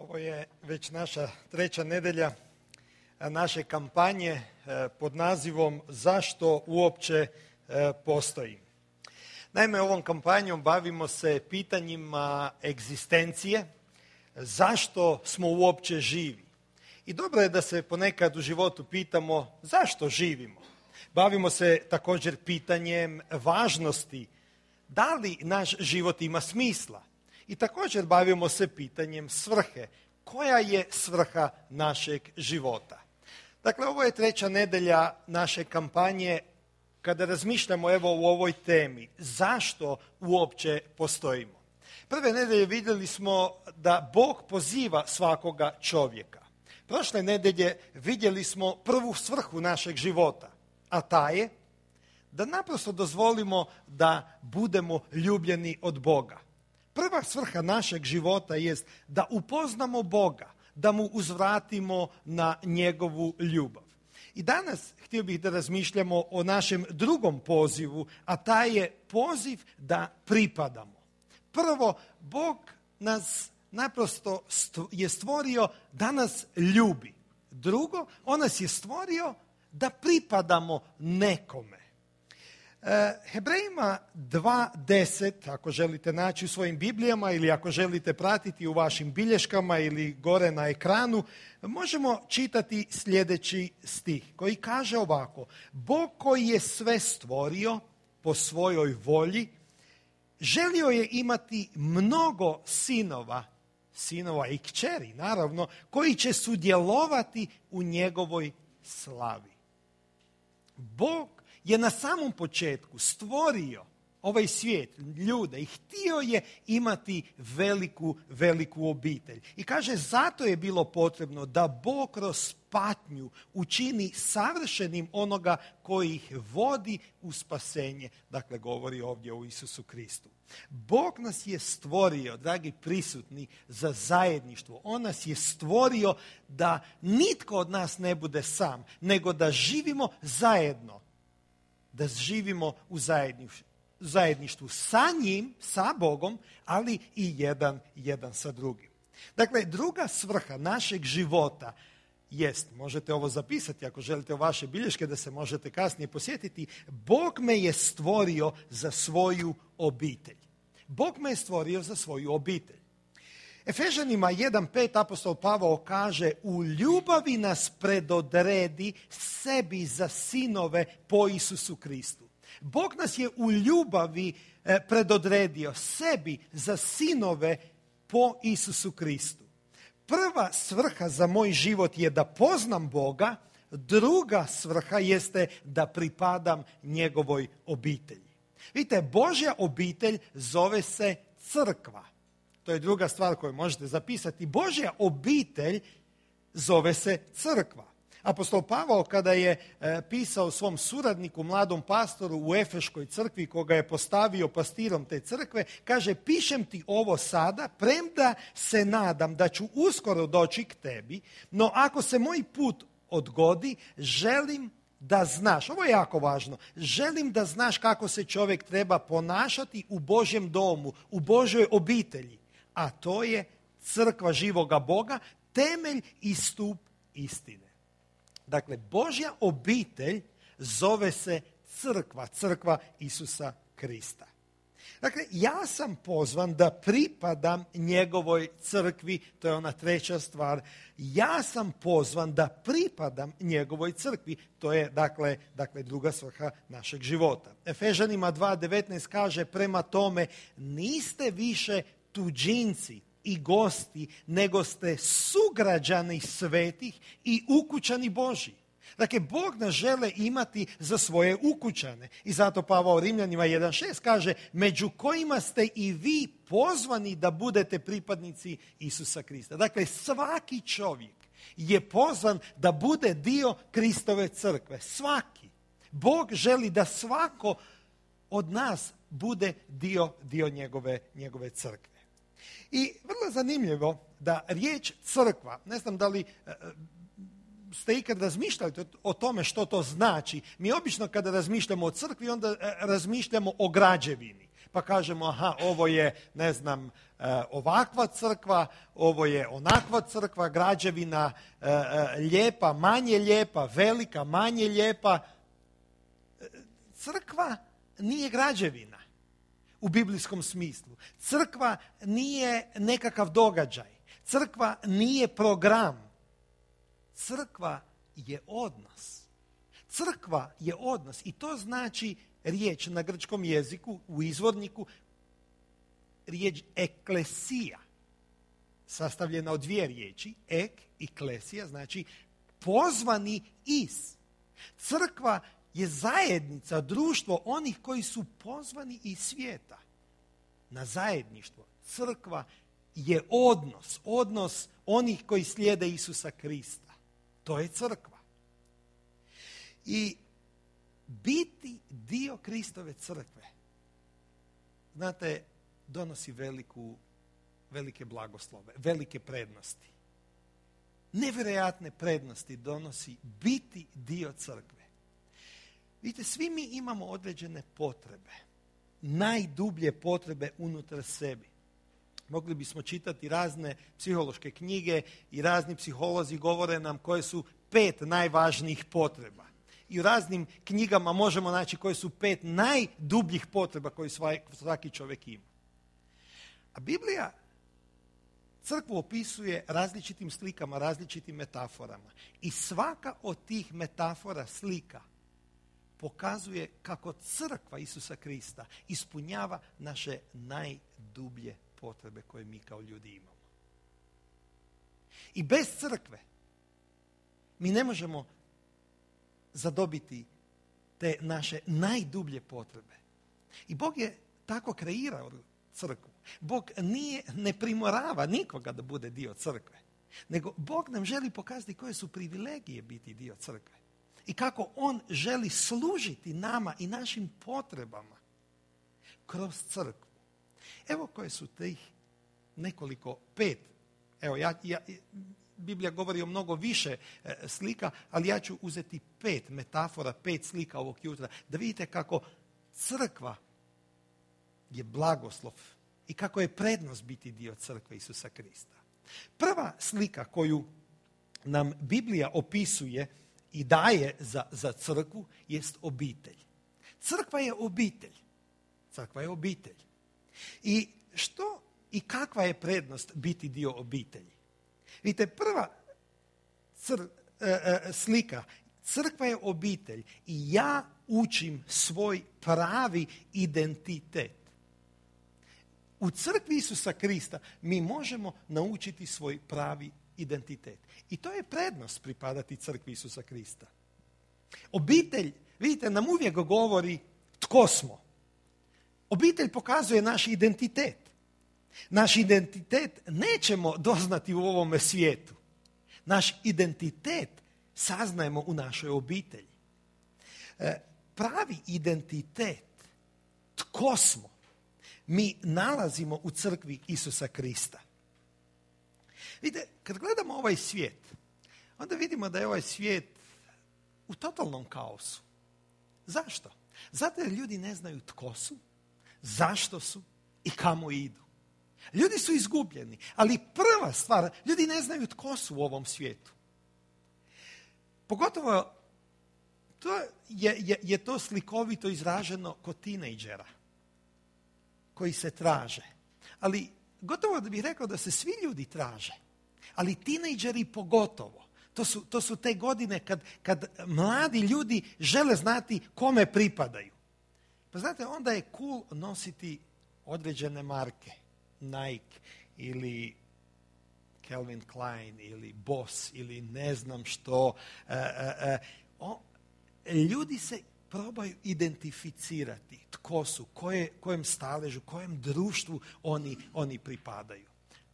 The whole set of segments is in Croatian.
Ovo je već naša treća nedelja naše kampanje pod nazivom Zašto uopće postoji. Naime, ovom kampanjom bavimo se pitanjima egzistencije, zašto smo uopće živi. I dobro je da se ponekad u životu pitamo zašto živimo. Bavimo se također pitanjem važnosti, da li naš život ima smisla. I također bavimo se pitanjem svrhe. Koja je svrha našeg života? Dakle, ovo je treća nedelja naše kampanje kada razmišljamo evo u ovoj temi. Zašto uopće postojimo? Prve nedelje vidjeli smo da Bog poziva svakoga čovjeka. Prošle nedelje vidjeli smo prvu svrhu našeg života, a ta je da naprosto dozvolimo da budemo ljubljeni od Boga. Prva svrha našeg života jest da upoznamo Boga, da mu uzvratimo na njegovu ljubav. I danas htio bih da razmišljamo o našem drugom pozivu, a taj je poziv da pripadamo. Prvo, Bog nas naprosto je stvorio da nas ljubi. Drugo, on nas je stvorio da pripadamo nekome. Hebrejima 2.10, ako želite naći u svojim Biblijama ili ako želite pratiti u vašim bilješkama ili gore na ekranu, možemo čitati sljedeći stih koji kaže ovako: Bog koji je sve stvorio po svojoj volji, želio je imati mnogo sinova i kćeri, naravno, koji će sudjelovati u njegovoj slavi. Bog je na samom početku stvorio ovaj svijet, ljude, i htio je imati veliku obitelj. I kaže, zato je bilo potrebno da Bog kroz patnju učini savršenim onoga koji ih vodi u spasenje. Dakle, govori ovdje o Isusu Kristu. Bog nas je stvorio, dragi prisutni, za zajedništvo. On nas je stvorio da nitko od nas ne bude sam, nego da živimo zajedno. Da živimo u zajedništvu sa njim, sa Bogom, ali i jedan sa drugim. Dakle, druga svrha našeg života jest, možete ovo zapisati ako želite u vaše bilješke da se možete kasnije posjetiti, Bog me je stvorio za svoju obitelj. Bog me je stvorio za svoju obitelj. Efežanima 1.5 apostol Pavao kaže: u ljubavi nas predodredi sebi za sinove po Isusu Kristu. Bog nas je u ljubavi predodredio sebi za sinove po Isusu Kristu. Prva svrha za moj život je da poznam Boga, druga svrha jeste da pripadam njegovoj obitelji. Vidite, Božja obitelj zove se crkva. To je druga stvar koju možete zapisati. Božja obitelj zove se crkva. Apostol Pavao, kada je pisao svom suradniku, mladom pastoru u Efeškoj crkvi, koga je postavio pastirom te crkve, kaže: pišem ti ovo sada, premda se nadam da ću uskoro doći k tebi, no ako se moj put odgodi, želim da znaš, ovo je jako važno, želim da znaš kako se čovjek treba ponašati u Božjem domu, u Božjoj obitelji, a to je crkva živoga Boga, temelj i stup istine. Dakle, Božja obitelj zove se crkva Isusa Krista. Dakle, ja sam pozvan da pripadam njegovoj crkvi, to je ona treća stvar. Ja sam pozvan da pripadam njegovoj crkvi, to je dakle druga svrha našeg života. Efežanima 2.19 kaže: prema tome, niste više tuđinci i gosti, nego ste sugrađani svetih i ukućani Božji. Dakle, Bog nas žele imati za svoje ukućane. I zato Pavao Rimljanima 1.6 kaže: među kojima ste i vi pozvani da budete pripadnici Isusa Krista. Dakle, svaki čovjek je pozvan da bude dio Kristove crkve. Svaki. Bog želi da svako od nas bude dio njegove crkve. I vrlo zanimljivo da riječ crkva, ne znam da li ste ikad razmišljali o tome što to znači. Mi obično kada razmišljamo o crkvi, onda razmišljamo o građevini. Pa kažemo, aha, ovo je, ne znam, ovakva crkva, ovo je onakva crkva, građevina lijepa, manje lijepa, velika, manje lijepa. Crkva nije građevina u biblijskom smislu. Crkva nije nekakav događaj. Crkva nije program. Crkva je odnos. Crkva je odnos i to znači riječ na grčkom jeziku, u izvorniku, riječ eklesija, sastavljena od dvije riječi, ek i klesija, znači pozvani iz. Crkva je zajednica, društvo onih koji su pozvani iz svijeta na zajedništvo. Crkva je odnos onih koji slijede Isusa Krista. To je crkva. I biti dio Kristove crkve, znate, donosi velike blagoslove, velike prednosti. Nevjerojatne prednosti donosi biti dio crkve. Vidite, svi mi imamo određene potrebe, najdublje potrebe unutar sebi. Mogli bismo čitati razne psihološke knjige i razni psiholozi govore nam koje su 5 najvažnijih potreba. I u raznim knjigama možemo naći koje su 5 najdubljih potreba koje svaki čovjek ima. A Biblija crkvu opisuje različitim slikama, različitim metaforama. I svaka od tih metafora, slika, pokazuje kako crkva Isusa Krista ispunjava naše najdublje potrebe koje mi kao ljudi imamo. I bez crkve mi ne možemo zadobiti te naše najdublje potrebe. I Bog je tako kreirao crkvu. Bog ne primorava nikoga da bude dio crkve, nego Bog nam želi pokazati koje su privilegije biti dio crkve i kako On želi služiti nama i našim potrebama kroz crkvu. Evo koje su tih nekoliko 5. Evo, Biblija govori o mnogo više slika, ali ja ću uzeti 5 metafora, 5 slika ovog jutra, da vidite kako crkva je blagoslov i kako je prednost biti dio crkve Isusa Krista. Prva slika koju nam Biblija opisuje i daje za crkvu jest obitelj. Crkva je obitelj. Crkva je obitelj. I što i kakva je prednost biti dio obitelji? Vidite, prva slika, crkva je obitelj i ja učim svoj pravi identitet. U crkvi Isusa Krista mi možemo naučiti svoj pravi identitet. I to je prednost pripadati crkvi Isusa Krista. Obitelj, vidite, nam uvijek govori tko smo. Obitelj pokazuje naš identitet. Naš identitet nećemo doznati u ovome svijetu. Naš identitet saznajemo u našoj obitelji. Pravi identitet, tko smo, mi nalazimo u crkvi Isusa Krista. Vidite, kad gledamo ovaj svijet, onda vidimo da je ovaj svijet u totalnom kaosu. Zašto? Zato jer ljudi ne znaju tko su, zašto su i kamo idu. Ljudi su izgubljeni, ali prva stvar, ljudi ne znaju tko su u ovom svijetu. Pogotovo je to slikovito izraženo kod tinejdžera koji se traže. Ali gotovo da bih rekao da se svi ljudi traže, ali tinejdžeri pogotovo. To su te godine kad mladi ljudi žele znati kome pripadaju. Pa znate, onda je cool nositi određene marke. Nike ili Calvin Klein ili Boss ili ne znam što. Ljudi se probaju identificirati tko su, kojem staležu, kojem društvu oni pripadaju.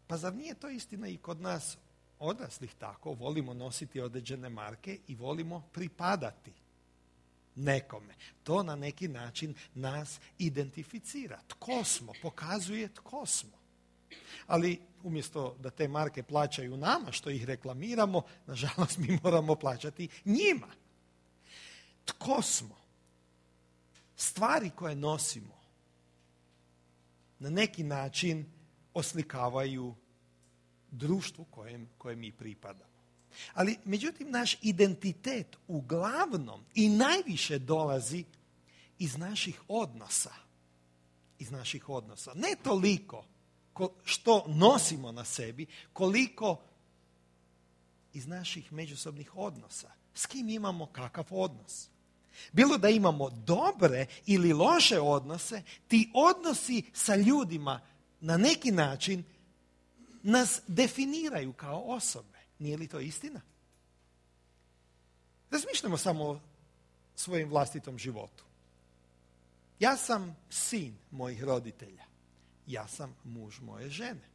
Pa zar nije to istina i kod nas odraslih tako? Volimo nositi određene marke i volimo pripadati nekome. To na neki način nas identificira. Tko smo? Pokazuje tko smo. Ali umjesto da te marke plaćaju nama što ih reklamiramo, nažalost mi moramo plaćati njima. Tko smo? Stvari koje nosimo na neki način oslikavaju društvu kojem mi pripadamo. Ali, međutim, naš identitet uglavnom i najviše dolazi iz naših odnosa. Iz naših odnosa. Ne toliko što nosimo na sebi, koliko iz naših međusobnih odnosa. S kim imamo kakav odnos? Bilo da imamo dobre ili loše odnose, ti odnosi sa ljudima na neki način nas definiraju kao osobe. Nije li to istina? Razmišljamo samo o svojim vlastitom životu. Ja sam sin mojih roditelja. Ja sam muž moje žene.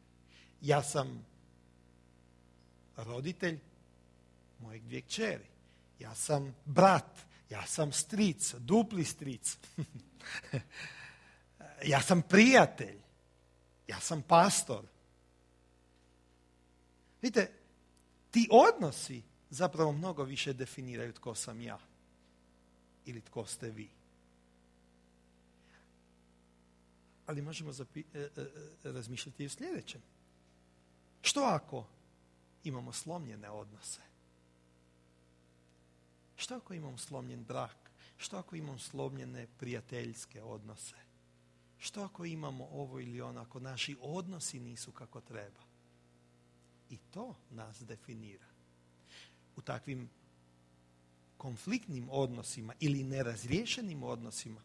Ja sam roditelj mojeg 2 kćeri. Ja sam brat. Ja sam stric, dupli stric. Ja sam prijatelj. Ja sam pastor. Vidite, ti odnosi zapravo mnogo više definiraju tko sam ja ili tko ste vi. Ali možemo razmišljati i o sljedećem. Što ako imamo slomljene odnose? Što ako imamo slomljen brak? Što ako imamo slomljene prijateljske odnose? Što ako imamo ovo ili ono, ako naši odnosi nisu kako treba? I to nas definira. U takvim konfliktnim odnosima ili nerazriješenim odnosima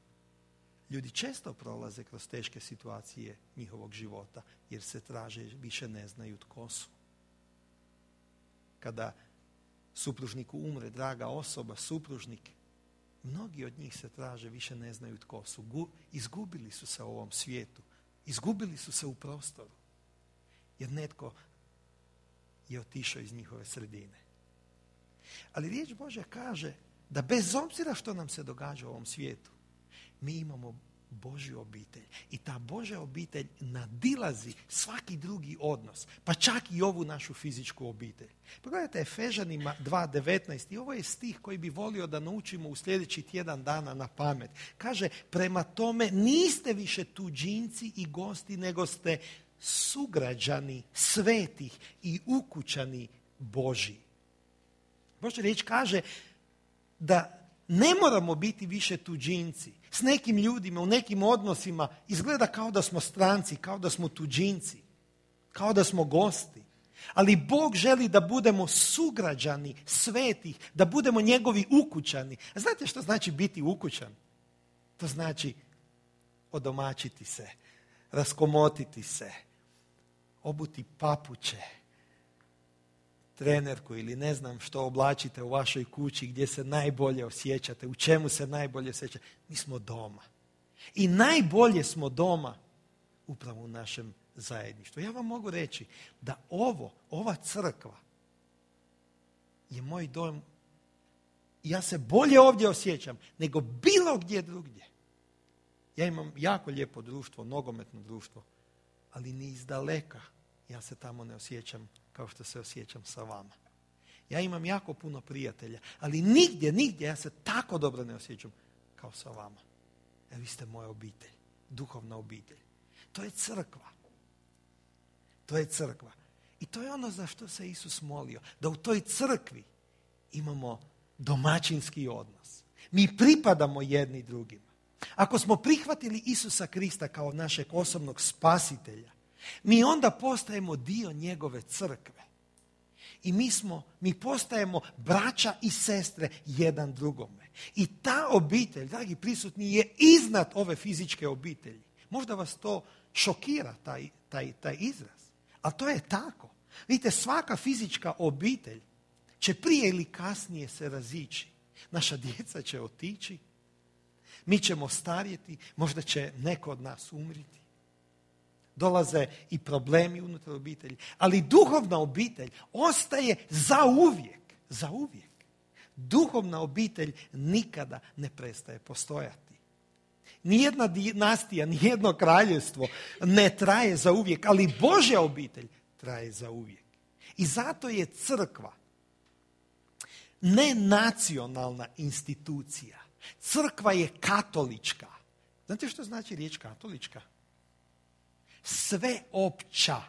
ljudi često prolaze kroz teške situacije njihovog života jer se traže, više ne znaju tko su. Kada supružniku umre draga osoba, supružnik, mnogi od njih se traže, više ne znaju tko su. Izgubili su se u ovom svijetu. Izgubili su se u prostoru. Jer netko je otišao iz njihove sredine. Ali riječ Božja kaže da bez obzira što nam se događa u ovom svijetu, mi imamo Božju obitelj. I ta Božja obitelj nadilazi svaki drugi odnos, pa čak i ovu našu fizičku obitelj. Pogledajte Efežanima 2.19 i ovo je stih koji bi volio da naučimo u sljedeći tjedan dana na pamet. Kaže, prema tome niste više tuđinci i gosti, nego ste sugrađani svetih i ukućani Božji. Božja riječ kaže da ne moramo biti više tuđinci. S nekim ljudima, u nekim odnosima izgleda kao da smo stranci, kao da smo tuđinci, kao da smo gosti. Ali Bog želi da budemo sugrađani svetih, da budemo njegovi ukućani. A znate što znači biti ukućan? To znači odomaćiti se, raskomotiti se, obuti papuče, trenerku ili ne znam što oblačite u vašoj kući, gdje se najbolje osjećate, u čemu se najbolje osjećate. Mi smo doma. I najbolje smo doma upravo u našem zajedništvu. Ja vam mogu reći da ova crkva je moj dom. Ja se bolje ovdje osjećam nego bilo gdje drugdje. Ja imam jako lijepo društvo, nogometno društvo, ali ni iz daleka ja se tamo ne osjećam kao što se osjećam sa vama. Ja imam jako puno prijatelja, ali nigdje ja se tako dobro ne osjećam kao sa vama. Jer vi ste moja obitelj, duhovna obitelj. To je crkva. To je crkva. I to je ono za što se Isus molio. Da u toj crkvi imamo domaćinski odnos. Mi pripadamo jedni drugima. Ako smo prihvatili Isusa Krista kao našeg osobnog spasitelja, mi onda postajemo dio njegove crkve. I mi postajemo braća i sestre jedan drugome. I ta obitelj, dragi prisutni, je iznad ove fizičke obitelji. Možda vas to šokira, taj izraz. Ali to je tako. Vidite, svaka fizička obitelj će prije ili kasnije se razići. Naša djeca će otići, mi ćemo starjeti, možda će neko od nas umriti. Dolaze i problemi unutar obitelji. Ali duhovna obitelj ostaje zauvijek. Duhovna obitelj nikada ne prestaje postojati. Nijedna dinastija, nijedno kraljevstvo ne traje zauvijek, ali Božja obitelj traje zauvijek. I zato je crkva nenacionalna institucija. Crkva je katolička. Znate što znači riječ katolička? sveopća.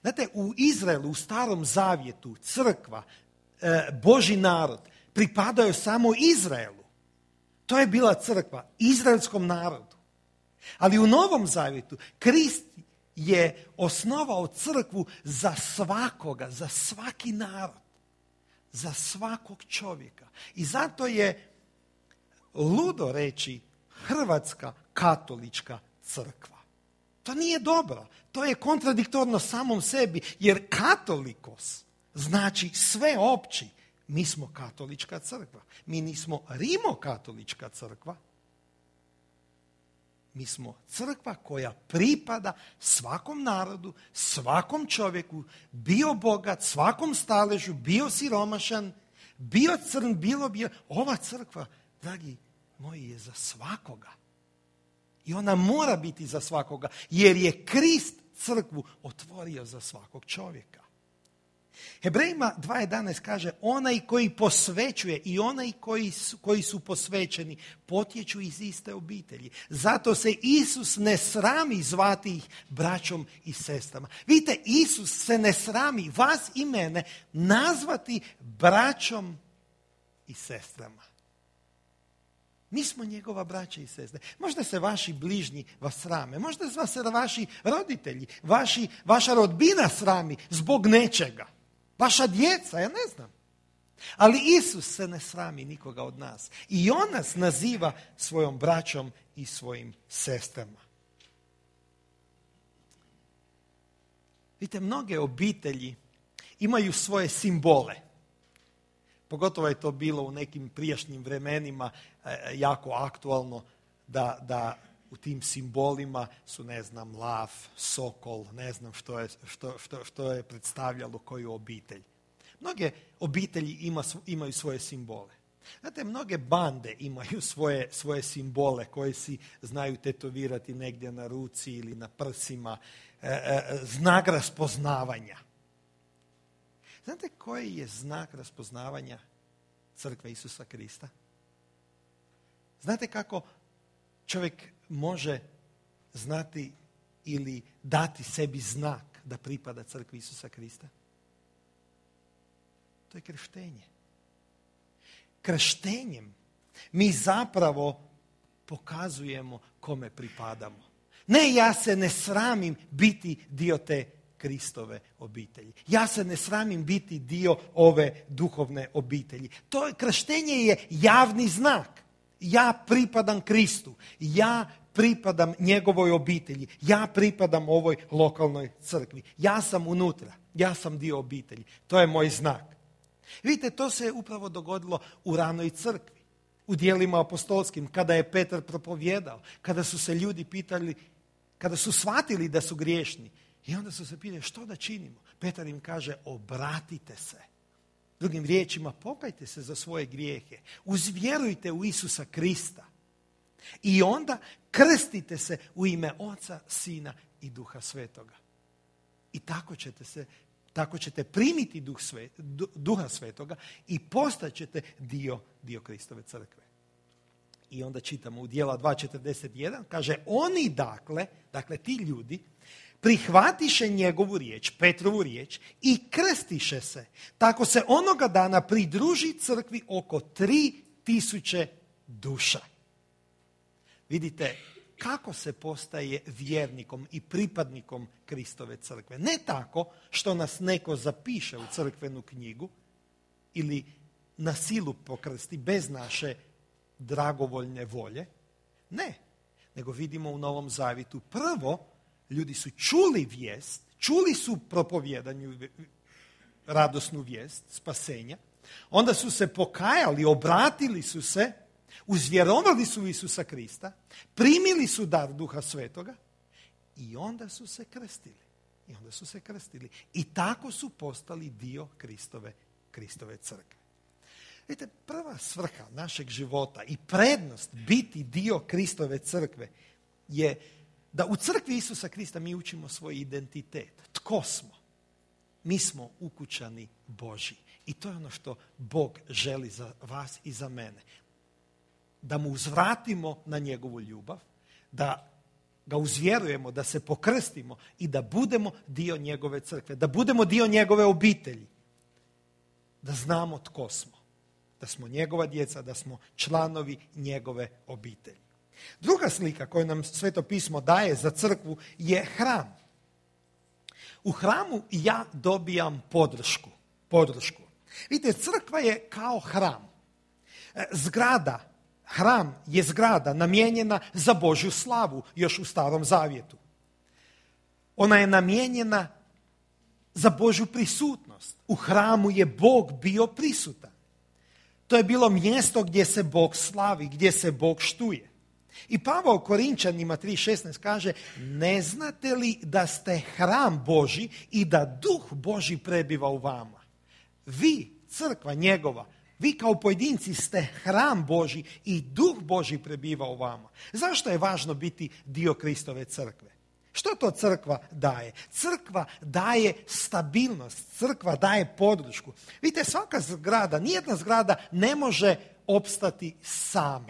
Znate, u Izraelu, u Starom Zavjetu, crkva, Božji narod, pripadaju samo Izraelu. To je bila crkva, izraelskom narodu. Ali u Novom Zavjetu, Krist je osnovao crkvu za svakoga, za svaki narod, za svakog čovjeka. I zato je ludo reći Hrvatska katolička crkva. To nije dobro. To je kontradiktorno samom sebi, jer katolikos znači sveopći. Mi smo katolička crkva. Mi nismo rimokatolička crkva. Mi smo crkva koja pripada svakom narodu, svakom čovjeku, bio bogat, svakom staležu, bio siromašan, bio crn, bilo bio. Ova crkva, dragi moji, je za svakoga. I ona mora biti za svakoga, jer je Krist crkvu otvorio za svakog čovjeka. Hebrejima 2.11 kaže, onaj koji posvećuje i onaj koji su posvećeni potječu iz iste obitelji. Zato se Isus ne srami zvati ih braćom i sestrama. Vidite, Isus se ne srami vas i mene nazvati braćom i sestrama. Mi smo njegova braća i sestre. Možda se vaši bližnji vas srame, možda vas se vaši roditelji, vaša rodbina srami zbog nečega. Vaša djeca, ja ne znam. Ali Isus se ne srami nikoga od nas. I on nas naziva svojom braćom i svojim sestrama. Vidite, mnoge obitelji imaju svoje simbole. Pogotovo je to bilo u nekim prijašnjim vremenima jako aktualno da u tim simbolima su, ne znam, lav, sokol, ne znam što je predstavljalo koju obitelj. Mnoge obitelji imaju svoje simbole. Znate, mnoge bande imaju svoje simbole koje si znaju tetovirati negdje na ruci ili na prsima, znak raspoznavanja. Znate koji je znak raspoznavanja crkve Isusa Krista? Znate kako čovjek može znati ili dati sebi znak da pripada crkvi Isusa Krista? To je krštenje. Krštenjem mi zapravo pokazujemo kome pripadamo. Ne, ja se ne sramim biti dio te Kristove obitelji. Ja se ne sramim biti dio ove duhovne obitelji. To krštenje je javni znak. Ja pripadam Kristu. Ja pripadam njegovoj obitelji. Ja pripadam ovoj lokalnoj crkvi. Ja sam unutra. Ja sam dio obitelji. To je moj znak. Vidite, to se upravo dogodilo u ranoj crkvi. U djelima apostolskim, kada je Petar propovjedao, kada su se ljudi pitali, kada su shvatili da su griješni. I onda su se pitali, što da činimo? Petar im kaže, obratite se. Drugim riječima, pokajte se za svoje grijehe. Uzvjerujte u Isusa Krista. I onda krstite se u ime Oca, Sina i Duha Svetoga. I tako ćete primiti Duha Svetoga i postaćete dio Kristove crkve. I onda čitamo u Djela 2.41, kaže, oni dakle ti ljudi, prihvatiše njegovu riječ, Petrovu riječ, i krstiše se. Tako se onoga dana pridruži crkvi oko 3.000 duša. Vidite, kako se postaje vjernikom i pripadnikom Kristove crkve. Ne tako što nas neko zapiše u crkvenu knjigu ili na silu pokrsti bez naše dragovoljne volje. Ne, nego vidimo u Novom Zavjetu prvo ljudi su čuli vijest, čuli su propovijedanju, radosnu vijest spasenja, onda su se pokajali, obratili su se, uzvjerovali su Isusa Krista, primili su dar Duha Svetoga i onda su se krstili. I tako su postali dio Kristove crkve. Vidite, prva svrha našeg života i prednost biti dio Kristove crkve je da u crkvi Isusa Krista mi učimo svoj identitet. Tko smo? Mi smo ukućani Božji. I to je ono što Bog želi za vas i za mene. Da mu uzvratimo na njegovu ljubav, da ga uzvjerujemo, da se pokrstimo i da budemo dio njegove crkve, da budemo dio njegove obitelji, da znamo tko smo, da smo njegova djeca, da smo članovi njegove obitelji. Druga slika koju nam Sveto pismo daje za crkvu je hram. U hramu ja dobijam podršku. Vidite, crkva je kao hram. Hram je zgrada namijenjena za Božju slavu još u Starom Zavjetu. Ona je namijenjena za Božju prisutnost. U hramu je Bog bio prisutan. To je bilo mjesto gdje se Bog slavi, gdje se Bog štuje. I Pavao Korinčanima 3.16 kaže, ne znate li da ste hram Božji i da Duh Božji prebiva u vama? Vi, crkva njegova, vi kao pojedinci ste hram Božji i Duh Božji prebiva u vama. Zašto je važno biti dio Kristove crkve? Što to crkva daje? Crkva daje stabilnost, crkva daje podršku. Vidite, svaka zgrada, nijedna zgrada ne može opstati sama.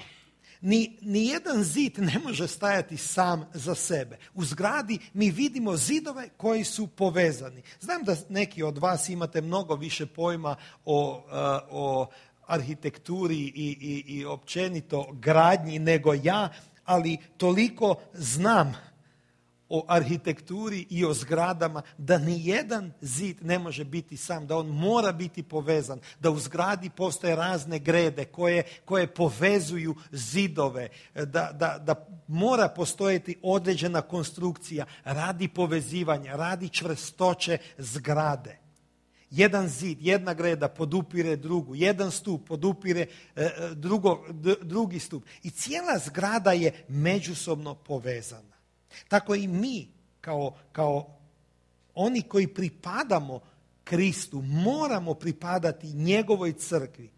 Nijedan zid ne može stajati sam za sebe. U zgradi mi vidimo zidove koji su povezani. Znam da neki od vas imate mnogo više pojma o arhitekturi i općenito gradnji nego ja, ali toliko znam o arhitekturi i o zgradama da nijedan zid ne može biti sam, da on mora biti povezan, da u zgradi postoje razne grede koje povezuju zidove, da mora postojati određena konstrukcija radi povezivanja, radi čvrstoće zgrade. Jedan zid, jedna greda podupire drugu, jedan stup podupire drugi stup i cijela zgrada je međusobno povezana. Tako i mi, kao oni koji pripadamo Kristu, moramo pripadati njegovoj crkvi.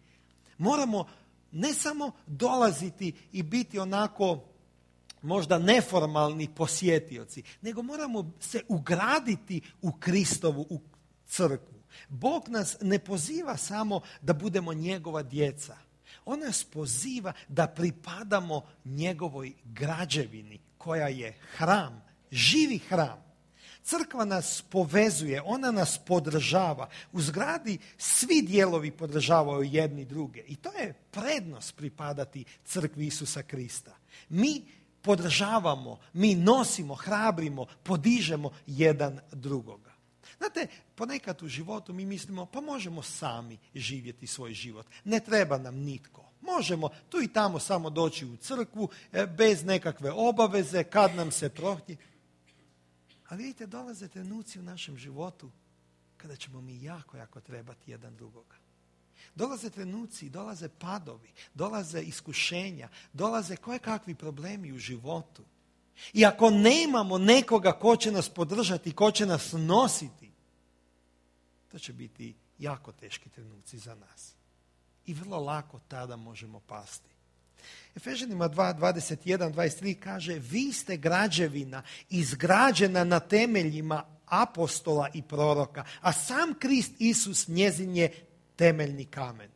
Moramo ne samo dolaziti i biti onako možda neformalni posjetioci, nego moramo se ugraditi u Kristovu u crkvu. Bog nas ne poziva samo da budemo njegova djeca. On nas poziva da pripadamo njegovoj građevini koja je hram, živi hram. Crkva nas povezuje, ona nas podržava. U zgradi svi dijelovi podržavaju jedni druge. I to je prednost pripadati crkvi Isusa Krista. Mi podržavamo, mi nosimo, hrabrimo, podižemo jedan drugoga. Znate, ponekad u životu mi mislimo, pa možemo sami živjeti svoj život. Ne treba nam nitko. Možemo tu i tamo samo doći u crkvu bez nekakve obaveze, kad nam se prohtje. Ali vidite, dolaze trenuci u našem životu kada ćemo mi jako trebati jedan drugoga. Dolaze trenuci, dolaze padovi, dolaze iskušenja, dolaze kojekakvi problemi u životu. I ako nemamo nekoga ko će nas podržati, ko će nas nositi, to će biti jako teški trenuci za nas. I vrlo lako tada možemo pasti. Efežanima 2:21-23 kaže, vi ste građevina izgrađena na temeljima apostola i proroka, a sam Krist Isus njezin je temeljni kamen.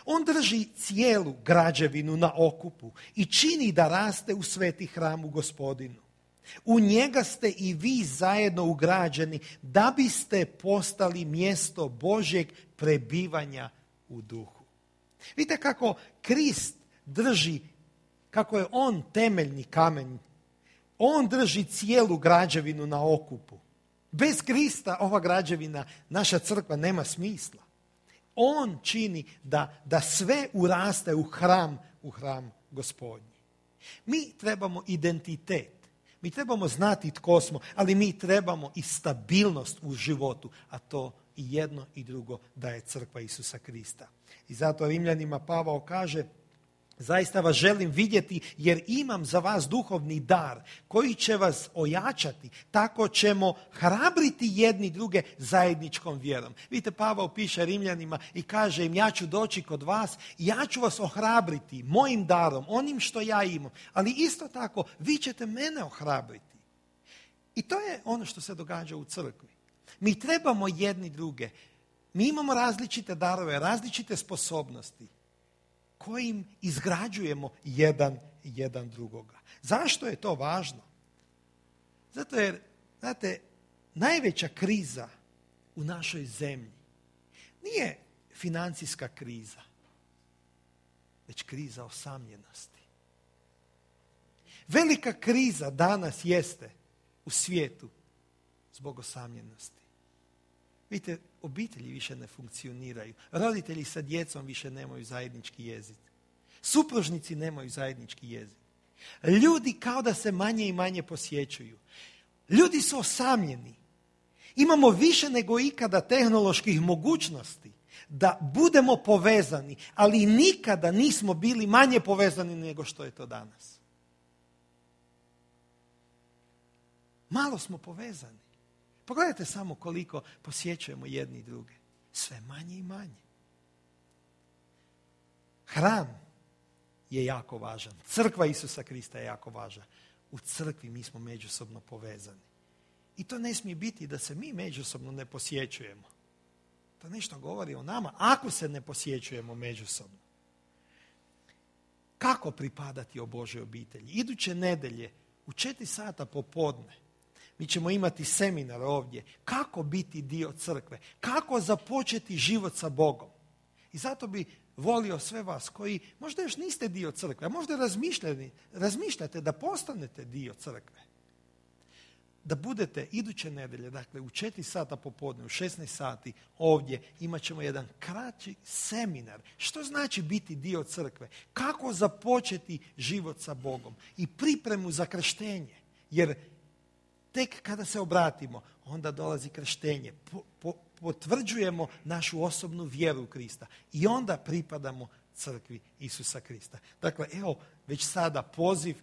On drži cijelu građevinu na okupu i čini da raste u sveti hram u Gospodinu. U njega ste i vi zajedno ugrađeni da biste postali mjesto Božjeg prebivanja u duhu. Vidite kako Krist drži, kako je on temeljni kamen. On drži cijelu građevinu na okupu. Bez Krista ova građevina, naša crkva, nema smisla. On čini da sve uraste u hram Gospodnji. Mi trebamo identitet. Mi trebamo znati tko smo, ali mi trebamo i stabilnost u životu, a to i jedno i drugo daje crkva Isusa Krista. I zato Rimljanima Pavao kaže, zaista vas želim vidjeti jer imam za vas duhovni dar koji će vas ojačati. Tako ćemo hrabriti jedni druge zajedničkom vjerom. Vidite, Pavao piše Rimljanima i kaže im, ja ću doći kod vas i ja ću vas ohrabriti mojim darom, onim što ja imam. Ali isto tako, vi ćete mene ohrabriti. I to je ono što se događa u crkvi. Mi trebamo jedni druge. Mi imamo različite darove, različite sposobnosti kojim izgrađujemo jedan drugoga. Zašto je to važno? Zato jer, znate, najveća kriza u našoj zemlji nije financijska kriza, već kriza osamljenosti. Velika kriza danas jeste u svijetu zbog osamljenosti. Vidite, obitelji više ne funkcioniraju. Roditelji sa djecom više nemaju zajednički jezik. Supružnici nemaju zajednički jezik. Ljudi kao da se manje i manje posjećuju. Ljudi su osamljeni. Imamo više nego ikada tehnoloških mogućnosti da budemo povezani, ali nikada nismo bili manje povezani nego što je to danas. Malo smo povezani. Pogledajte samo koliko posjećujemo jedni i druge. Sve manje i manje. Hram je jako važan. Crkva Isusa Krista je jako važna. U crkvi mi smo međusobno povezani. I to ne smije biti da se mi međusobno ne posjećujemo. To nešto govori o nama ako se ne posjećujemo međusobno. Kako pripadati o Božoj obitelji? Iduće nedjelje u 4 sata popodne mi ćemo imati seminar ovdje. Kako biti dio crkve? Kako započeti život sa Bogom? I zato bi volio sve vas koji možda još niste dio crkve, a možda razmišljate da postanete dio crkve. Da budete iduće nedjelje, dakle u 4 sata popodne, u 16 sati ovdje imat ćemo jedan kraći seminar. Što znači biti dio crkve? Kako započeti život sa Bogom? I pripremu za krštenje. Jer tek kada se obratimo, onda dolazi krštenje. Potvrđujemo našu osobnu vjeru u Krista. I onda pripadamo crkvi Isusa Krista. Dakle, evo, već sada poziv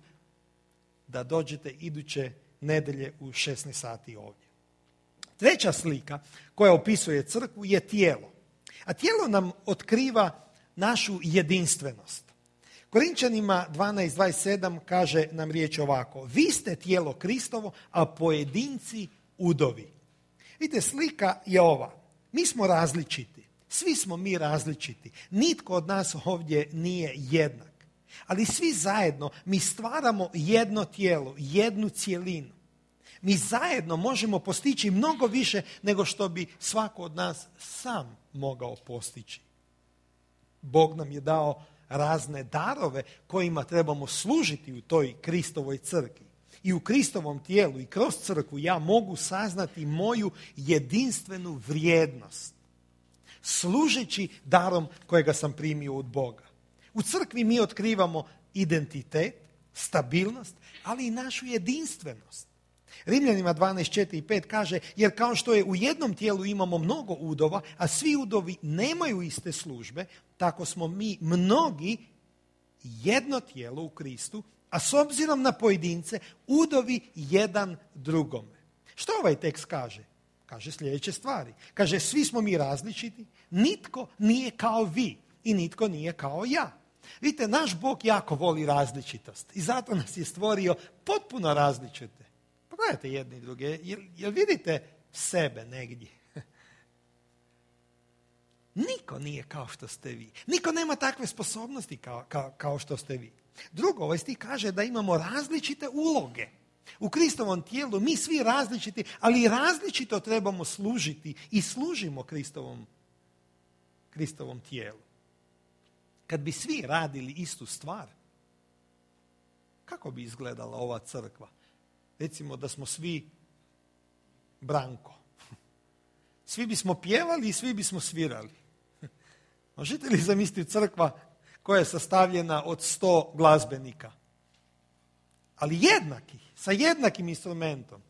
da dođete iduće nedjelje u 16 sati ovdje. Treća slika koja opisuje crkvu je tijelo. A tijelo nam otkriva našu jedinstvenost. Korinčanima 12:27 kaže nam riječ ovako. Vi ste tijelo Kristovo, a pojedinci udovi. Vidite, slika je ova. Mi smo različiti. Svi smo mi različiti. Nitko od nas ovdje nije jednak. Ali svi zajedno mi stvaramo jedno tijelo, jednu cjelinu. Mi zajedno možemo postići mnogo više nego što bi svako od nas sam mogao postići. Bog nam je dao razne darove kojima trebamo služiti u toj Kristovoj crkvi. I u Kristovom tijelu i kroz crkvu ja mogu saznati moju jedinstvenu vrijednost. Služeći darom kojega sam primio od Boga. U crkvi mi otkrivamo identitet, stabilnost, ali i našu jedinstvenost. Rimljanima 12:4 i 5 kaže, jer kao što je u jednom tijelu imamo mnogo udova, a svi udovi nemaju iste službe, tako smo mi mnogi jedno tijelo u Kristu, a s obzirom na pojedince, udovi jedan drugome. Što ovaj tekst kaže? Kaže sljedeće stvari. Kaže, svi smo mi različiti, nitko nije kao vi i nitko nije kao ja. Vidite, naš Bog jako voli različitost i zato nas je stvorio potpuno različite. Pogledajte jedni i druge, jel vidite sebe negdje? Niko nije kao što ste vi. Niko nema takve sposobnosti kao što ste vi. Drugo, ovaj stih kaže da imamo različite uloge. U Kristovom tijelu mi svi različiti, ali različito trebamo služiti i služimo Kristovom tijelu. Kad bi svi radili istu stvar, kako bi izgledala ova crkva? Recimo da smo svi Branko. Svi bismo pjevali i svi bismo svirali. Možete li zamisliti crkva koja je sastavljena od 100 glazbenika? Ali jednaki, sa jednakim instrumentom,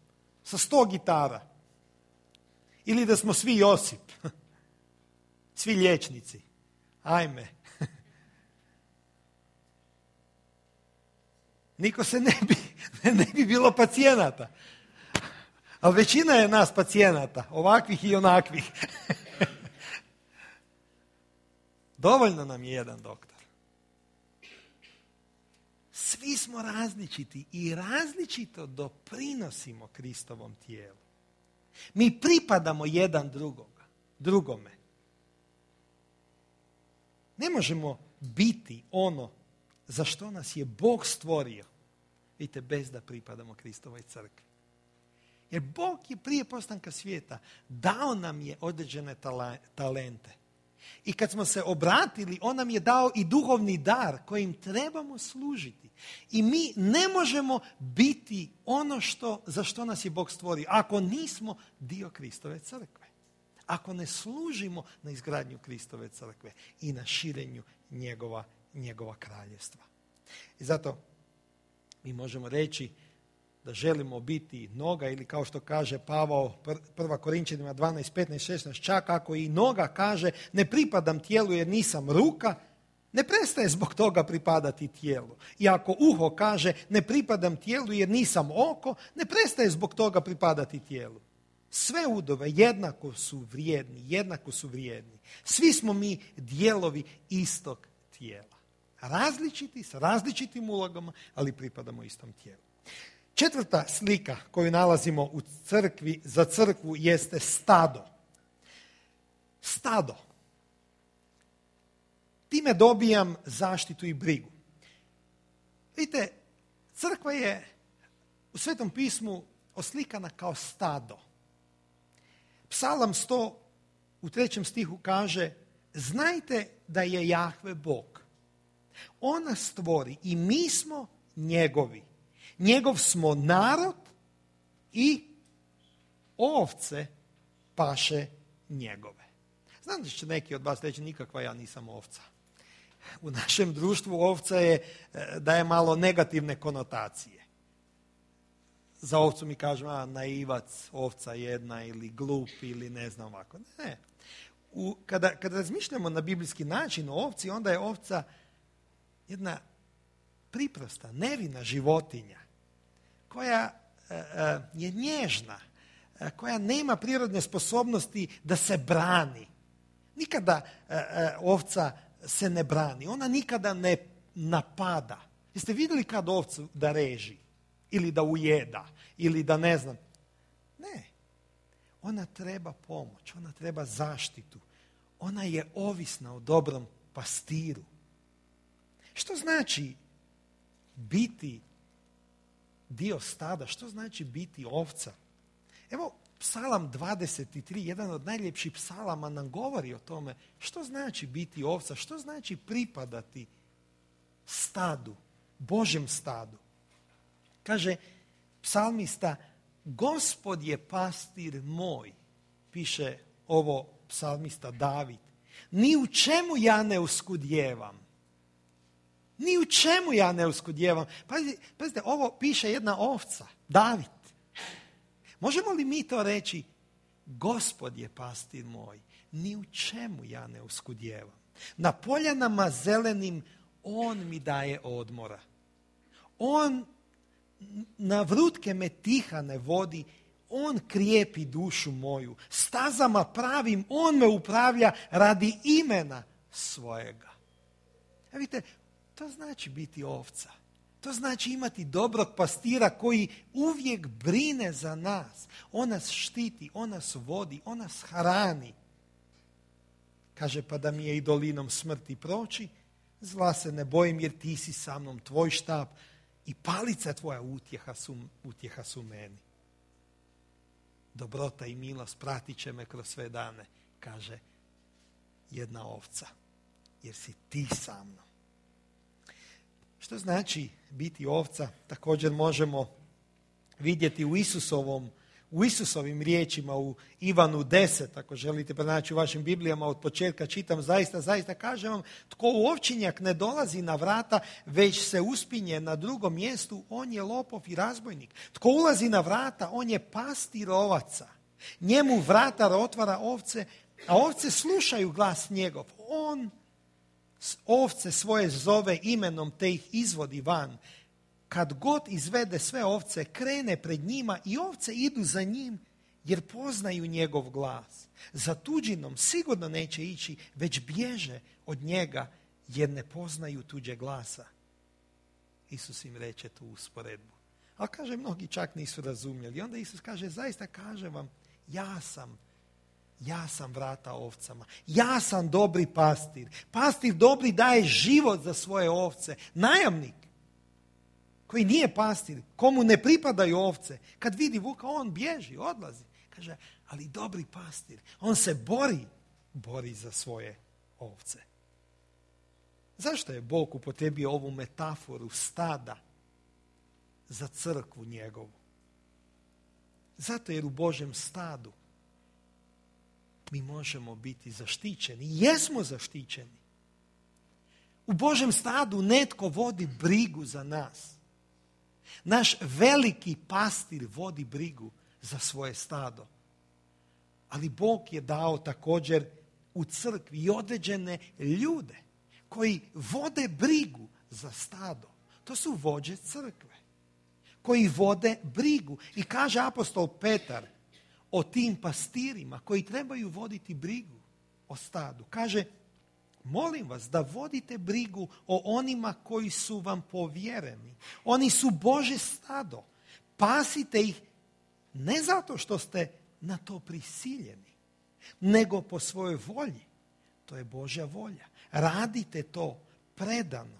sa 100 gitara. Ili da smo svi Josip, svi liječnici. Ajme. Niko se ne bi bilo pacijenata. Ali većina je nas pacijenata, ovakvih i onakvih. Dovoljno nam je jedan doktor. Svi smo različiti i različito doprinosimo Kristovom tijelu. Mi pripadamo jedan drugome. Ne možemo biti ono za što nas je Bog stvorio, vidite, bez da pripadamo Kristovoj crkvi. Jer Bog je prije postanka svijeta dao nam je određene talente. I kad smo se obratili, on nam je dao i duhovni dar kojim trebamo služiti. I mi ne možemo biti ono za što nas je Bog stvorio ako nismo dio Kristove crkve. Ako ne služimo na izgradnju Kristove crkve i na širenju njegova kraljevstva. I zato mi možemo reći da želimo biti noga, ili kao što kaže Pavao 1. Korinčanima 12, 15, 16, čak ako i noga kaže ne pripadam tijelu jer nisam ruka, ne prestaje zbog toga pripadati tijelu. I ako uho kaže ne pripadam tijelu jer nisam oko, ne prestaje zbog toga pripadati tijelu. Sve udove jednako su vrijedni. Svi smo mi dijelovi istog tijela. Različiti, sa različitim ulogama, ali pripadamo istom tijelu. 4. slika koju nalazimo u crkvi, za crkvu, jeste stado. Stado. Time dobijam zaštitu i brigu. Vidite, crkva je u Svetom pismu oslikana kao stado. Psalam 100 u 3. stihu kaže: znajte da je Jahve Bog. On nas stvori i mi smo njegovi. Njegov smo narod i ovce paše njegove. Znam da će neki od vas reći nikakva ja nisam ovca. U našem društvu ovca daje malo negativne konotacije. Za ovcu mi kažemo naivac, ovca jedna ili glup ili ne znam ovako. Ne. Kada razmišljamo na biblijski način o ovci, onda je ovca jedna priprosta, nevina životinja koja je nježna, koja nema prirodne sposobnosti da se brani. Nikada ovca se ne brani, ona nikada ne napada. Jeste vidjeli kad ovcu da reži ili da ujeda ili da ne znam? Ne. Ona treba pomoć, ona treba zaštitu. Ona je ovisna o dobrom pastiru. Što znači biti dio stada? Što znači biti ovca? Evo, Psalam 23, jedan od najljepših psalama, nam govori o tome što znači biti ovca, što znači pripadati stadu, Božjem stadu. Kaže psalmista: Gospod je pastir moj, piše ovo psalmista David. Ni u čemu ja ne uskudjevam. Ni u čemu ja ne uskudjevam. Pazite, ovo piše jedna ovca, David. Možemo li mi to reći? Gospod je pastir moj, ni u čemu ja ne uskudjevam. Na poljanama zelenim on mi daje odmora. On na vrutke me tihane vodi, on krijepi dušu moju. Stazama pravim on me upravlja radi imena svojega. Vidite, to znači biti ovca. To znači imati dobrog pastira koji uvijek brine za nas. On nas štiti, on nas vodi, on nas hrani. Kaže, pa da mi je i dolinom smrti proći, zla se ne bojim jer ti si sa mnom, tvoj štap i palica tvoja utjeha su meni. Dobrota i milost pratit će me kroz sve dane, kaže jedna ovca, jer si ti sa mnom. Što znači biti ovca? Također možemo vidjeti u Isusovim riječima u Ivanu 10, ako želite pronaći u vašim Biblijama od početka čitam, zaista kažem vam, tko u ovčinjak ne dolazi na vrata, već se uspinje na drugom mjestu, on je lopov i razbojnik. Tko ulazi na vrata, on je pastir ovaca. Njemu vratar otvara ovce, a ovce slušaju glas njegov. On ovce svoje zove imenom te ih izvodi van. Kad god izvede sve ovce, krene pred njima i ovce idu za njim jer poznaju njegov glas. Za tuđinom sigurno neće ići, već bježe od njega jer ne poznaju tuđe glasa. Isus im reče tu usporedbu. Ali kaže, mnogi čak nisu razumjeli. Onda Isus kaže, zaista kažem vam, ja sam vrata ovcama. Ja sam dobri pastir. Pastir dobri daje život za svoje ovce. Najamnik koji nije pastir, komu ne pripadaju ovce, kad vidi vuka, on bježi, odlazi. Kaže, ali dobri pastir, on se bori za svoje ovce. Zašto je Bog upotrijebio ovu metaforu stada za crkvu njegovu? Zato jer u Božjem stadu mi možemo biti zaštićeni. Jesmo zaštićeni. U Božjem stadu netko vodi brigu za nas. Naš veliki pastir vodi brigu za svoje stado. Ali Bog je dao također u crkvi i određene ljude koji vode brigu za stado. To su vođe crkve koji vode brigu. I kaže apostol Petar o tim pastirima koji trebaju voditi brigu o stadu. Kaže, molim vas da vodite brigu o onima koji su vam povjereni. Oni su Božje stado. Pasite ih ne zato što ste na to prisiljeni, nego po svojoj volji. To je Božja volja. Radite to predano,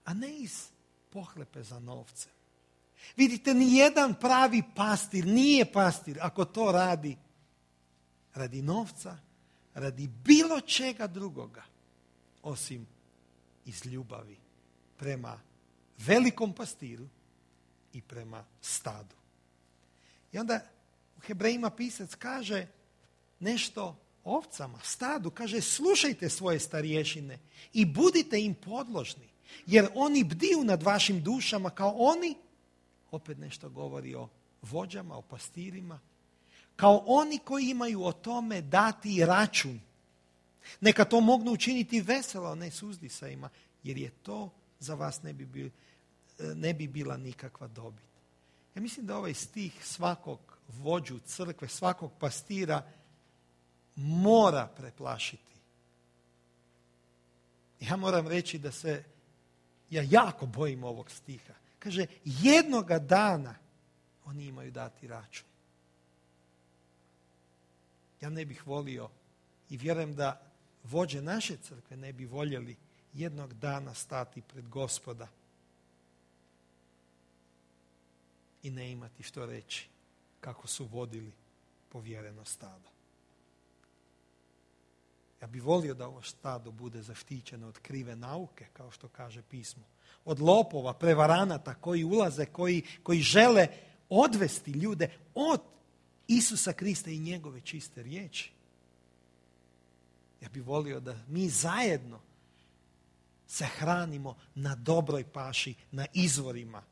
a ne iz pohlepe za novcem. Vidite, nijedan pravi pastir nije pastir ako to radi novca, radi bilo čega drugoga, osim iz ljubavi prema velikom pastiru i prema stadu. I onda u Hebrejima pisac kaže nešto o ovcama, stadu. Kaže, slušajte svoje starješine i budite im podložni, jer oni bdiju nad vašim dušama kao oni, opet nešto govori o vođama, o pastirima, kao oni koji imaju o tome dati račun. Neka to mogu učiniti veselo, a ne s uzdisajima, jer je to za vas ne bi bila nikakva dobit. Ja mislim da ovaj stih svakog vođu crkve, svakog pastira mora preplašiti. Ja moram reći da se ja jako bojim ovog stiha. Kaže, jednoga dana oni imaju dati račun. Ja ne bih volio i vjerujem da vođe naše crkve ne bi voljeli jednog dana stati pred Gospoda i ne imati što reći kako su vodili povjereno stado. Ja bih volio da ovo stado bude zaštićeno od krive nauke, kao što kaže pismo. Od lopova, prevaranata koji ulaze, koji žele odvesti ljude od Isusa Krista i njegove čiste riječi. Ja bih volio da mi zajedno se hranimo na dobroj paši, na izvorima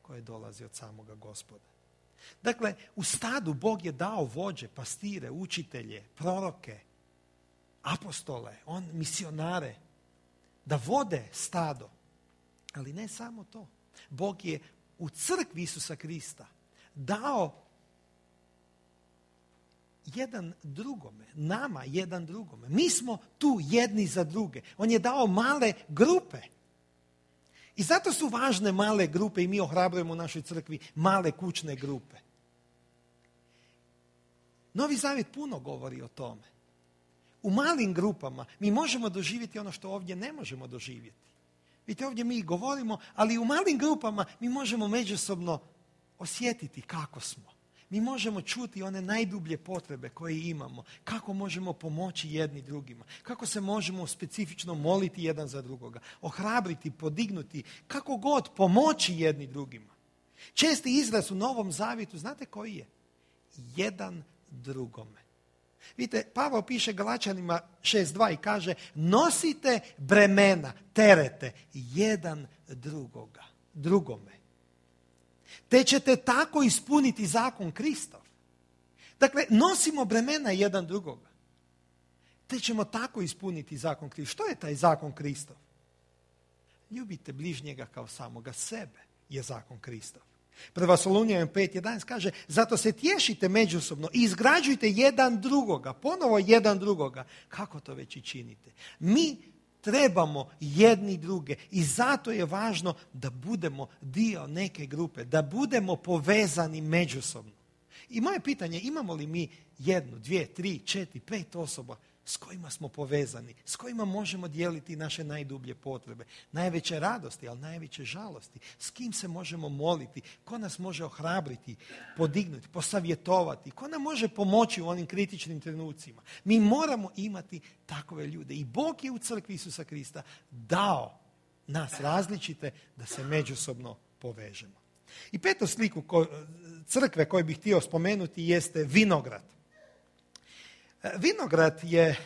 koje dolazi od samoga Gospoda. Dakle, u stadu Bog je dao vođe, pastire, učitelje, proroke, apostole, misionare, da vode stado. Ali ne samo to. Bog je u crkvi Isusa Krista dao jedan drugome, nama jedan drugome. Mi smo tu jedni za druge. On je dao male grupe. I zato su važne male grupe i mi ohrabrujemo u našoj crkvi male kućne grupe. Novi Zavjet puno govori o tome. U malim grupama mi možemo doživjeti ono što ovdje ne možemo doživjeti. Vidite, ovdje mi govorimo, ali u malim grupama mi možemo međusobno osjetiti kako smo. Mi možemo čuti one najdublje potrebe koje imamo. Kako možemo pomoći jedni drugima. Kako se možemo specifično moliti jedan za drugoga. Ohrabriti, podignuti. Kako god pomoći jedni drugima. Česti izraz u Novom Zavjetu, znate koji je? Jedan drugome. Vidite, Pavao piše Galačanima 6.2 i kaže, nosite bremena, terete jedan drugome. Te ćete tako ispuniti zakon Kristov. Dakle, nosimo bremena jedan drugoga. Te ćemo tako ispuniti zakon Kristov. Što je taj zakon Kristov? Ljubite bližnjega kao samoga sebe je zakon Kristov. Prva Solunjanima 5.11 kaže, zato se tješite međusobno i izgrađujte jedan drugoga, ponovo jedan drugoga. Kako to već i činite? Mi trebamo jedni druge i zato je važno da budemo dio neke grupe, da budemo povezani međusobno. I moje pitanje, imamo li mi 1, 2, 3, 4, 5 osoba s kojima smo povezani, s kojima možemo dijeliti naše najdublje potrebe, najveće radosti, ali najveće žalosti, s kim se možemo moliti, ko nas može ohrabriti, podignuti, posavjetovati, ko nam može pomoći u onim kritičnim trenucima. Mi moramo imati takove ljude. I Bog je u crkvi Isusa Krista dao nas različite da se međusobno povežemo. I petu sliku crkve koju bih htio spomenuti jeste vinograd. Vinograd je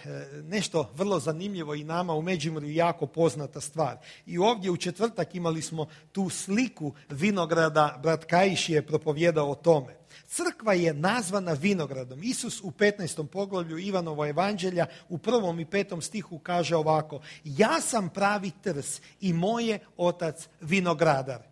nešto vrlo zanimljivo i nama u Međimurju jako poznata stvar. I ovdje u četvrtak imali smo tu sliku vinograda, brat Kajiš je propovijedao o tome. Crkva je nazvana vinogradom. Isus u 15. poglavlju Ivanovo evanđelja u 1. i 5. stihu kaže ovako: ja sam pravi trs i moj je otac vinogradar.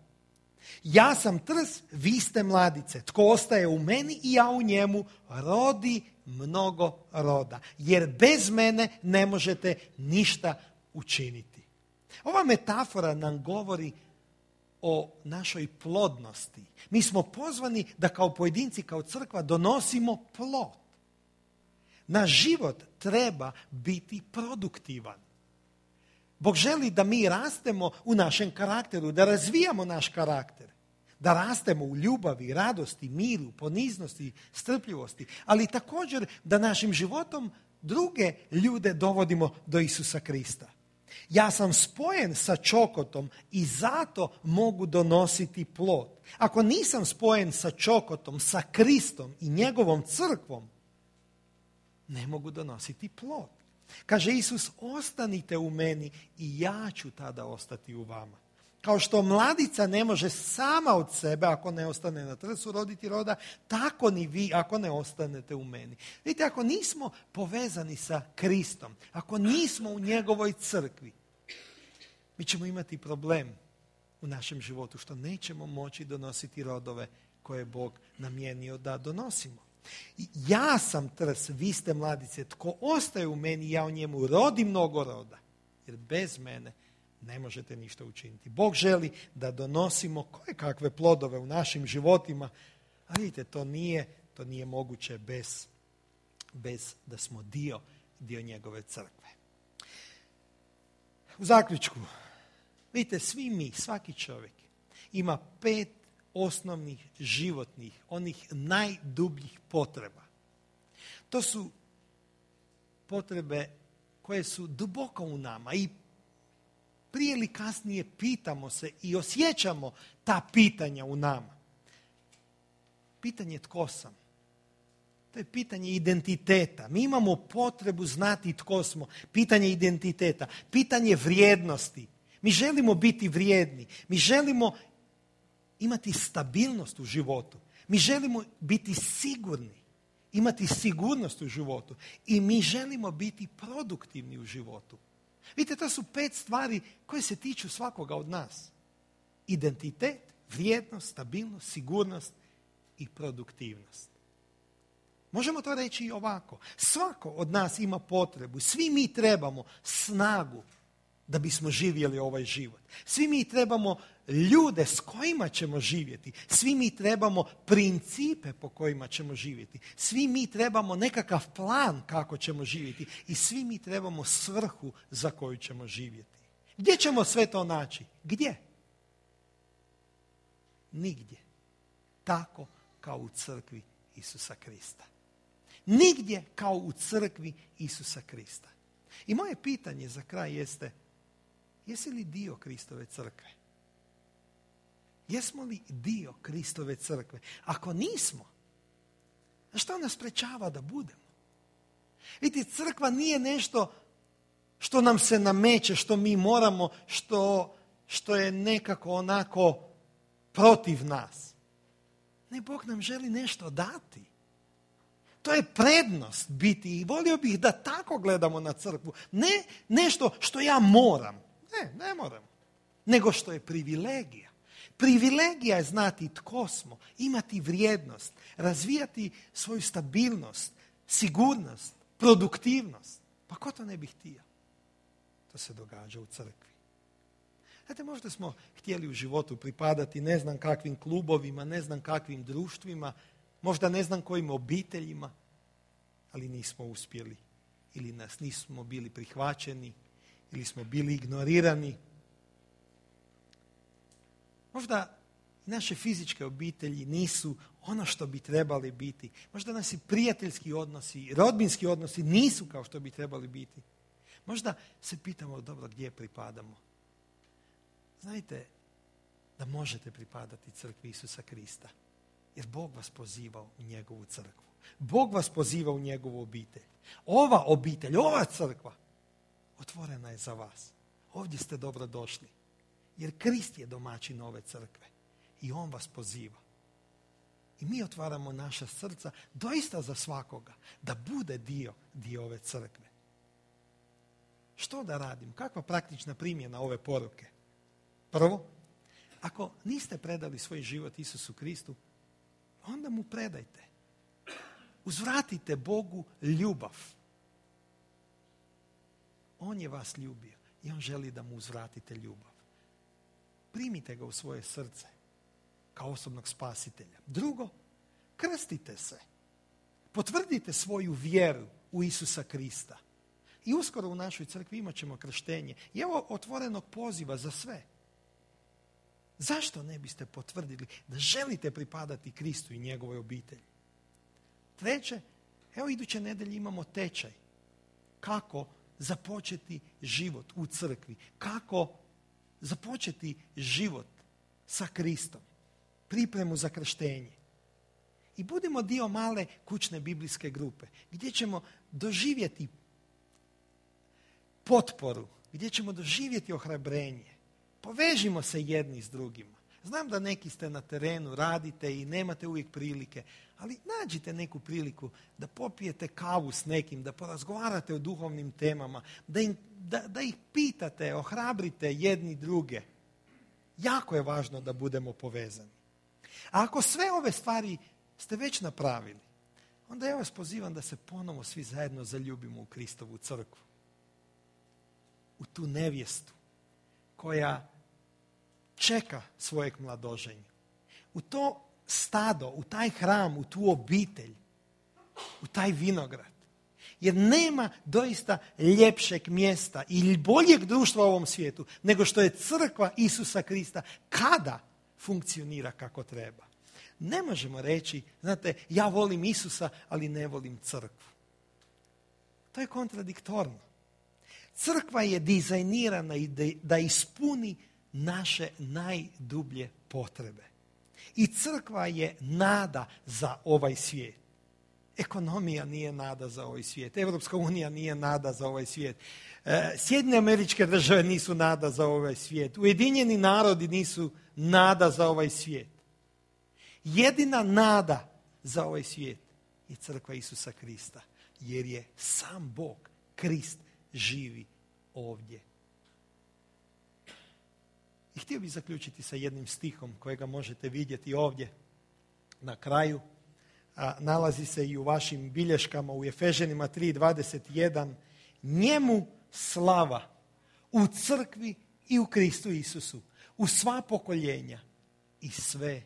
Ja sam trs, vi ste mladice. Tko ostaje u meni i ja u njemu, rodi mnogo roda. Jer bez mene ne možete ništa učiniti. Ova metafora nam govori o našoj plodnosti. Mi smo pozvani da kao pojedinci, kao crkva donosimo plod. Naš život treba biti produktivan. Bog želi da mi rastemo u našem karakteru, da razvijamo naš karakter, da rastemo u ljubavi, radosti, miru, poniznosti, strpljivosti, ali također da našim životom druge ljude dovodimo do Isusa Krista. Ja sam spojen sa čokotom i zato mogu donositi plod. Ako nisam spojen sa čokotom, sa Kristom i njegovom crkvom, ne mogu donositi plod. Kaže Isus, ostanite u meni i ja ću tada ostati u vama. Kao što mladica ne može sama od sebe, ako ne ostane na trsu, roditi roda, tako ni vi ako ne ostanete u meni. Vidite, ako nismo povezani sa Kristom, ako nismo u njegovoj crkvi, mi ćemo imati problem u našem životu što nećemo moći donositi rodove koje je Bog namijenio da donosimo. Ja sam trs, vi ste mladice, tko ostaje u meni, ja u njemu, rodi mnogo roda. Jer bez mene ne možete ništa učiniti. Bog želi da donosimo koje kakve plodove u našim životima, a vidite, to nije moguće bez da smo dio njegove crkve. U zaključku, vidite, svi mi, svaki čovjek ima 5 osnovnih životnih, onih najdubljih potreba. To su potrebe koje su duboko u nama i prije ili kasnije pitamo se i osjećamo ta pitanja u nama. Pitanje tko sam. To je pitanje identiteta. Mi imamo potrebu znati tko smo. Pitanje identiteta. Pitanje vrijednosti. Mi želimo biti vrijedni. Mi želimo imati stabilnost u životu. Mi želimo biti sigurni. Imati sigurnost u životu. I mi želimo biti produktivni u životu. Vidite, to su 5 stvari koje se tiču svakoga od nas. Identitet, vrijednost, stabilnost, sigurnost i produktivnost. Možemo to reći i ovako. Svako od nas ima potrebu. Svi mi trebamo snagu da bismo živjeli ovaj život. Svi mi trebamo ljude s kojima ćemo živjeti. Svi mi trebamo principe po kojima ćemo živjeti. Svi mi trebamo nekakav plan kako ćemo živjeti. I svi mi trebamo svrhu za koju ćemo živjeti. Gdje ćemo sve to naći? Gdje? Nigdje. Tako kao u crkvi Isusa Krista. Nigdje kao u crkvi Isusa Krista. I moje pitanje za kraj jeste, jesi li dio Kristove crkve? Jesmo li dio Kristove crkve? Ako nismo, što nas sprečava da budemo? Vidite, crkva nije nešto što nam se nameće, što mi moramo, što je nekako onako protiv nas. Ne, Bog nam želi nešto dati. To je prednost biti i volio bih da tako gledamo na crkvu. Ne nešto što ja moram. Ne moram. Nego što je privilegija. Privilegija je znati tko smo, imati vrijednost, razvijati svoju stabilnost, sigurnost, produktivnost. Pa ko to ne bi htio? To se događa u crkvi. Znate, možda smo htjeli u životu pripadati ne znam kakvim klubovima, ne znam kakvim društvima, možda ne znam kojim obiteljima, ali nismo uspjeli. ili nas nismo bili prihvaćeni, ili smo bili ignorirani. Možda naše fizičke obitelji nisu ono što bi trebali biti. Možda naši prijateljski odnosi, rodbinski odnosi nisu kao što bi trebali biti. Možda se pitamo, dobro, gdje pripadamo? Znajte da možete pripadati crkvi Isusa Krista. Jer Bog vas poziva u njegovu crkvu. Bog vas poziva u njegovu obitelj. Ova obitelj, ova crkva otvorena je za vas. Ovdje ste dobro došli. Jer Krist je domaćin ove crkve. I on vas poziva. I mi otvaramo naša srca doista za svakoga. Da bude dio ove crkve. Što da radim? Kakva praktična primjena ove poruke? Prvo, ako niste predali svoj život Isusu Kristu, onda mu predajte. Uzvratite Bogu ljubav. On je vas ljubio i on želi da mu uzvratite ljubav. Primite ga u svoje srce kao osobnog spasitelja. Drugo, krstite se. Potvrdite svoju vjeru u Isusa Krista. I uskoro u našoj crkvi imat ćemo krštenje. I evo otvorenog poziva za sve. Zašto ne biste potvrdili da želite pripadati Kristu i njegovoj obitelji? Treće, evo iduće nedelje imamo tečaj. Kako započeti život u crkvi? Kako započeti život sa Kristom? Pripremu za krštenje. I budimo dio male kućne biblijske grupe gdje ćemo doživjeti potporu, gdje ćemo doživjeti ohrabrenje. Povežimo se jedni s drugima. Znam da neki ste na terenu, radite i nemate uvijek prilike, ali nađite neku priliku da popijete kavu s nekim, da porazgovarate o duhovnim temama, da ih pitate, ohrabrite jedni druge. Jako je važno da budemo povezani. A ako sve ove stvari ste već napravili, onda ja vas pozivam da se ponovo svi zajedno zaljubimo u Kristovu crkvu. U tu nevjestu koja čeka svojeg mladoženja. U to stado, u taj hram, u tu obitelj, u taj vinograd. Jer nema doista ljepšeg mjesta ili boljeg društva u ovom svijetu nego što je crkva Isusa Krista kada funkcionira kako treba. Ne možemo reći, znate, ja volim Isusa, ali ne volim crkvu. To je kontradiktorno. Crkva je dizajnirana da ispuni naše najdublje potrebe. I crkva je nada za ovaj svijet. Ekonomija nije nada za ovaj svijet. Evropska unija nije nada za ovaj svijet. Sjedinjene Američke Države nisu nada za ovaj svijet. Ujedinjeni narodi nisu nada za ovaj svijet. Jedina nada za ovaj svijet je crkva Isusa Krista. Jer je sam Bog, Krist, živi ovdje. I htio bih zaključiti sa jednim stihom kojega možete vidjeti ovdje na kraju. Nalazi se i u vašim bilješkama u Efežanima 3:21. Njemu slava u crkvi i u Kristu Isusu, u sva pokoljenja i sve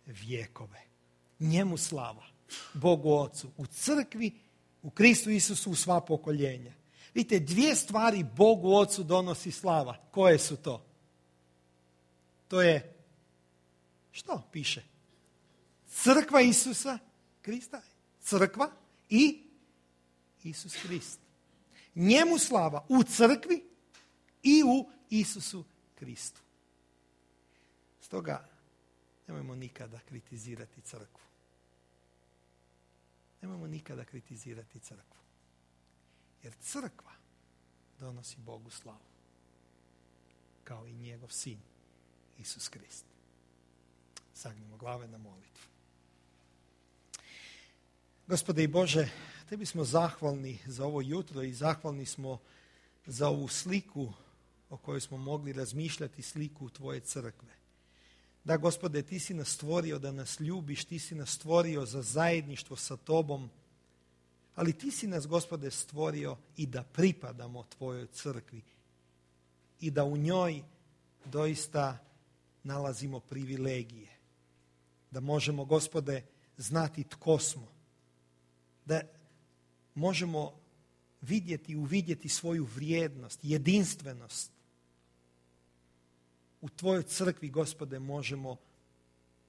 vjekove. Njemu slava, Bogu Ocu, u crkvi, u Kristu Isusu, u sva pokoljenja. Vidite, dvije stvari Bogu Ocu donosi slava. Koje su to? To je, što piše? Crkva Isusa Krista, crkva i Isus Krist. Njemu slava u crkvi i u Isusu Kristu. Stoga nemojmo nikada kritizirati crkvu. Nemojmo nikada kritizirati crkvu. Jer crkva donosi Bogu slavu. Kao i njegov sin, Isus Krist. Sagnimo glave na molitvu. Gospode i Bože, tebi smo zahvalni za ovo jutro i zahvalni smo za ovu sliku o kojoj smo mogli razmišljati, sliku tvoje crkve. Da, Gospode, ti si nas stvorio da nas ljubiš, ti si nas stvorio za zajedništvo sa tobom, ali ti si nas, Gospode, stvorio i da pripadamo tvojoj crkvi i da u njoj doista nalazimo privilegije. Da možemo, Gospode, znati tko smo. Da možemo uvidjeti svoju vrijednost, jedinstvenost. U tvojoj crkvi, Gospode, možemo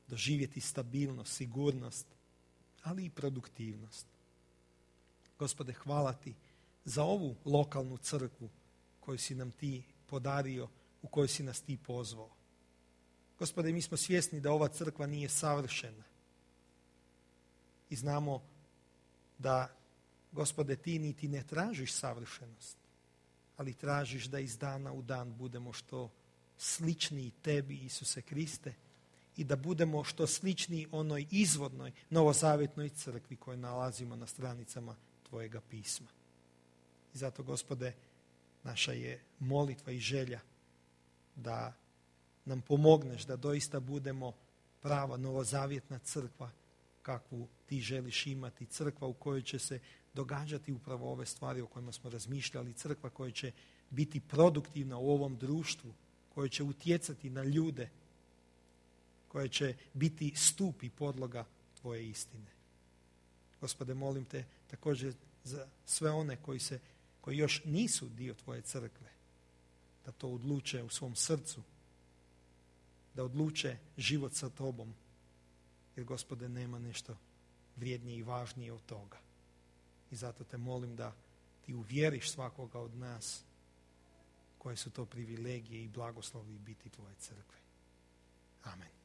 doživjeti stabilnost, sigurnost, ali i produktivnost. Gospode, hvala ti za ovu lokalnu crkvu koju si nam ti podario, u kojoj si nas ti pozvao. Gospode, mi smo svjesni da ova crkva nije savršena. I znamo da, Gospode, ti niti ne tražiš savršenost, ali tražiš da iz dana u dan budemo što sličniji tebi, Isuse Kriste, i da budemo što sličniji onoj izvornoj novozavjetnoj crkvi koju nalazimo na stranicama tvojega pisma. I zato, Gospode, naša je molitva i želja da nam pomogneš da doista budemo prava novozavjetna crkva kakvu ti želiš imati, crkva u kojoj će se događati upravo ove stvari o kojima smo razmišljali, crkva koja će biti produktivna u ovom društvu, koja će utjecati na ljude, koja će biti stup i podloga tvoje istine. Gospode, molim te također za sve one koji još nisu dio tvoje crkve, da to odluče u svom srcu, da odluče život sa tobom, jer, Gospode, nema nešto vrijednije i važnije od toga. I zato te molim da ti uvjeriš svakoga od nas koje su to privilegije i blagoslovi biti tvoje crkve. Amen.